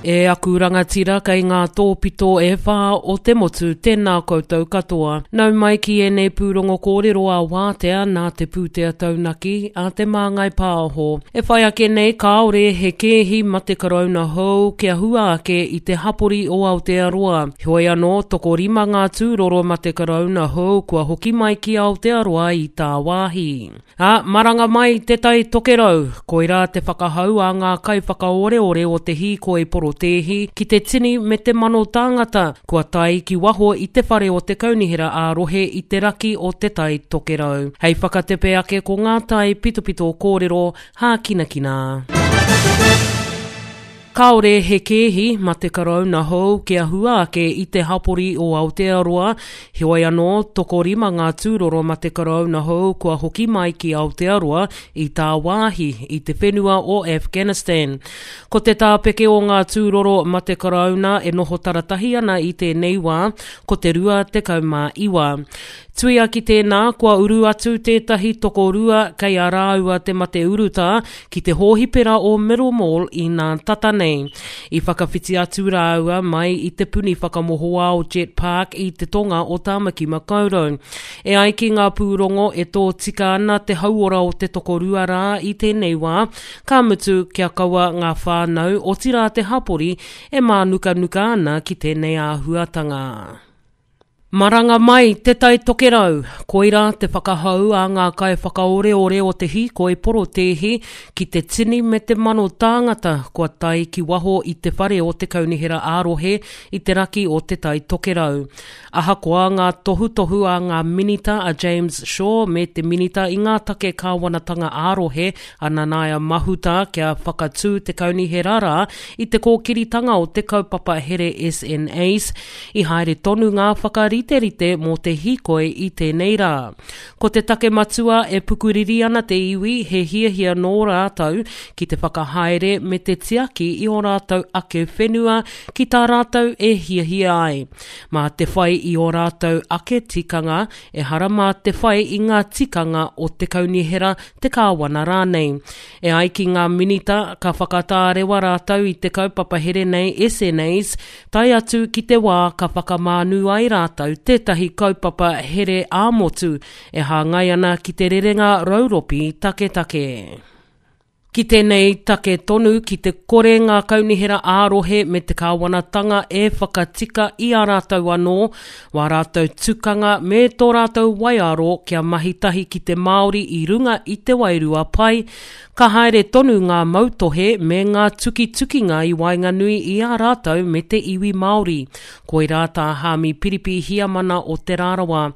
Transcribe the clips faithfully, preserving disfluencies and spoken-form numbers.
E aku rangatira kei ngā tōpito e whā o te motu, tēnā koutou katoa. Nau mai ki ēnei pūrongo kōrero a wātea nā te pūtea taunaki a Te Māngai Pāho. E whai ake nei kāore he kēhi mate karauna hou kia hua ake i te hapori o Aotearoa. Heoi anō, tokorima ngā tūroro mate karauna hou kua hoki mai ki Aotearoa i tāwāhi. Ā, maranga mai Te Tai Tokerau, koirā te whakahau a ngā kaiwhakaoreore o te hīkoi porotēhi ki te tini me te mano tāngata kua tae ki waho i te whare o te kaunihera ā-rohe i te raki o Te Tai Tokerau. Hei whakatepe ake ko ngā tae pitopito kōrero hākinakina. Kāore he kēhi ma te karauna hou kia hua ake i te hapori o Aotearoa, heoi anō, tokorima ngā tūroro ma te karauna hou kua hoki mai ki Aotearoa i tāwāhi i te whenua o Afghanistan. Ko te tāpeke o ngā tūroro ma te karauna e noho taratahi ana i tēnei wā, ko te rua tekau mā iwa. Tuia ki tēnā, kua uru atu tētahi tokorua kei a rāua te mate urutā ki te hōhipera o Middlemore i nā tata nei. I whakawhiti atu rāua mai i te puni whakamohoao Jet Park i te tonga o Tāmaki Makaurau. E ai ki ngā pūrongo e tōtika ana te hauora o te tokorua rā i tēnei wā, ka mutu kia kaua ngā whānau, otirā te hapori, e mānukanuka ana ki tēnei āhuatanga. Maranga mai Te Tai Tokerau, koirā te whakahau a ngā kaiwhakaoreore o te hīkoi porotēhi ki te tini me te mano tāngata kua tae ki waho i te whare o te kaunihera ā-rohe i te raki o Te Tai Tokerau. Ahakoa ngā tohutohu a ngā minita a James Shaw me te minita i ngā take kāwanatanga ā-rohe a Nanaia Mahuta kia whakatū te kaunihera rā i te kōkiritanga o te kaupapa here S N As, i haere tonu ngā whakariterite mō te hīkoi i tēnei rā. Ko te take matua e pukuriri ana te iwi he hiahia nō rātou ki te whakahaere me te tiaki i ō rātou ake whenua ki tā rātou e hiahia ai. Mā te whai i ō rātou ake tikanga, ehara mā te whai i ngā tikanga o te kaunihera, te kāwana rānei. E ai ki ngā minita, ka whakatārewa rātou i te kaupapa here nei S N As, tae atu ki te wā ka whakamānu ai rātou tētahi kaupapa here ā-motu e hāngai ana ki te rerenga rauropi taketake. Ki tēnei take tonu, ki te kore ngā kaunihera ā-rohe me te kāwanatanga e whakatika i a rātou anō, wā rātou tukanga me tō rātou waiaro kia mahi tahi ki te Māori i runga i te wairua pai, ka haere tonu ngā mautohe me ngā tukitukinga i waenganui i a rātou me te iwi Māori. Koirā tā Hāmi Piripi Hiamana o Te Rarawa.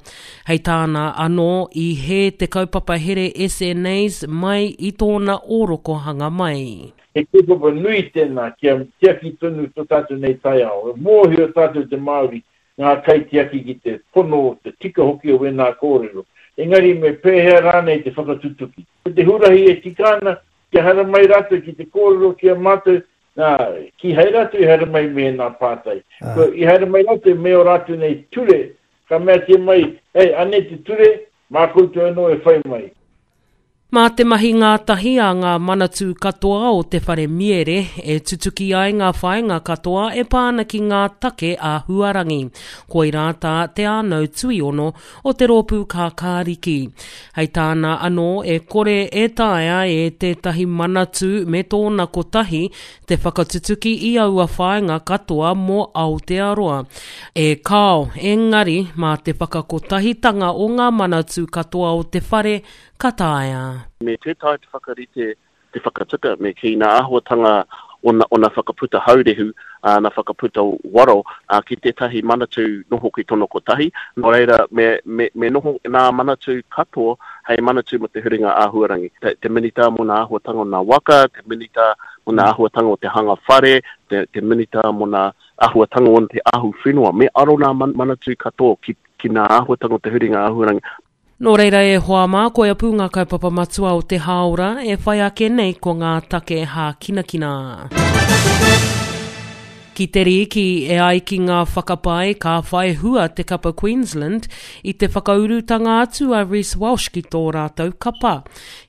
Hei tāna anō, i hē te kaupapa here S N As mai i tōna ōrokohanga mai. He kaupapa nui tēnā kia tiaki tonu tō tātou nei taiao. E mōhio tātou te Māori ngā kaitiaki ki te pono, te tika hoki o wēnā kōrero. Engari me pēhea rānei te whakatutuki. Ko te huarahi e tika ana, kia haere mai rātou ki te kōrero ki a mātou, nā, kīhai rātou i haere mai me ēnā pātai. Ko i haere mai rātou me ō rātou nei ture, ka meatia mai, hei, anei te ture, mā koutou anō e whai mai. Mā te mahi ngātahi a ngā manatū katoa o te whare miere e tutuki ai ngā whāinga katoa e pā ana ki ngā take āhuarangi. Koirā tā Te Ānau Tuiono o te rōpū Kākāriki. Hei tāna anō e kore e taea e tētahi manatū me tōna kotahi te whakatutuki i aua whāinga katoa mō Aotearoa. E kāo, engari mā te whakakotahitanga o ngā manatū katoa o te whare ka taea. Me tē taea te whakarite te whakatika me kī nā āhuatanga o nā, o nā whakaputa haurehu, ā, nā whakaputa waro ā, ki tētahi manatū noho ki tōna kotahi. Nō reira, me, me, me noho nā manatū katoa hei manatū mō te huringa āhuarangi. Te, te minita mō nā āhuatanga o nā waka, te minita mō nā āhuatanga o te hanga whare, te, te minita mō nā āhuatanga o te ahu whenua. Me aro nā manatū katoa ki, ki nā āhuatanga o te huringa āhuarangi. Nō reira e hoa mā, koia pū ngā kaupapa matua o te hāora e whai ake nei ko ngā take hākinakina. Ki te rīki e ai ki ngā whakapae ka whai hua te kapa Queensland i te whakaurutanga atu a Reece Walsh ki tō rātou kapa.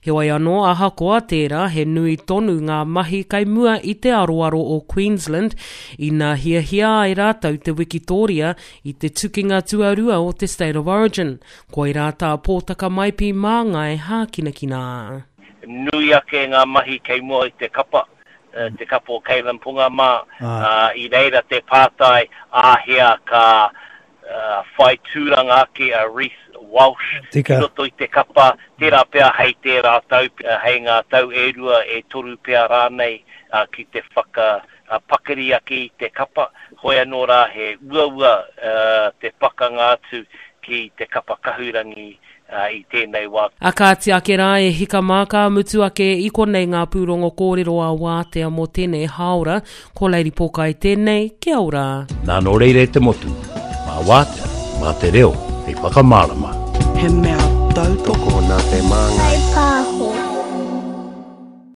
Heoi anō ahakoa tērā he nui tonu ngā mahi kai mua i te aroaro o Queensland ina hiahia ai rātou te wikitoria i te tukinga tuarua o te State of Origin. Koirā tā Pōtaka Maipi Māngai hākinakina. Nui ake ngā mahi kei mua i te kapa, te kapa o Kalyn Ponga mā, uh, i reira te pātai āhea ka uh, whai tūranga ake a Reece Walsh ki roto i te kapa, tērā pea hei tērā tau, hei ngā tau e rua e toru pea rānei uh, ki te whaka uh, pakari ake i te kapa, hoi anō rā he uaua uh, te pakanga atu ki te kapa kahurangi uh, i tēnei wā. A kāti ake rā e hika mā ka mutu ake i konei ngā pūrongo kōrero a wātea mō tēnei hāora, ko Lady Pōkai tēnei, kia ora. Nā nō reira e te motu, mā wātea, mā te reo, hei whakamārama. He mea tautoko nā te Māngai.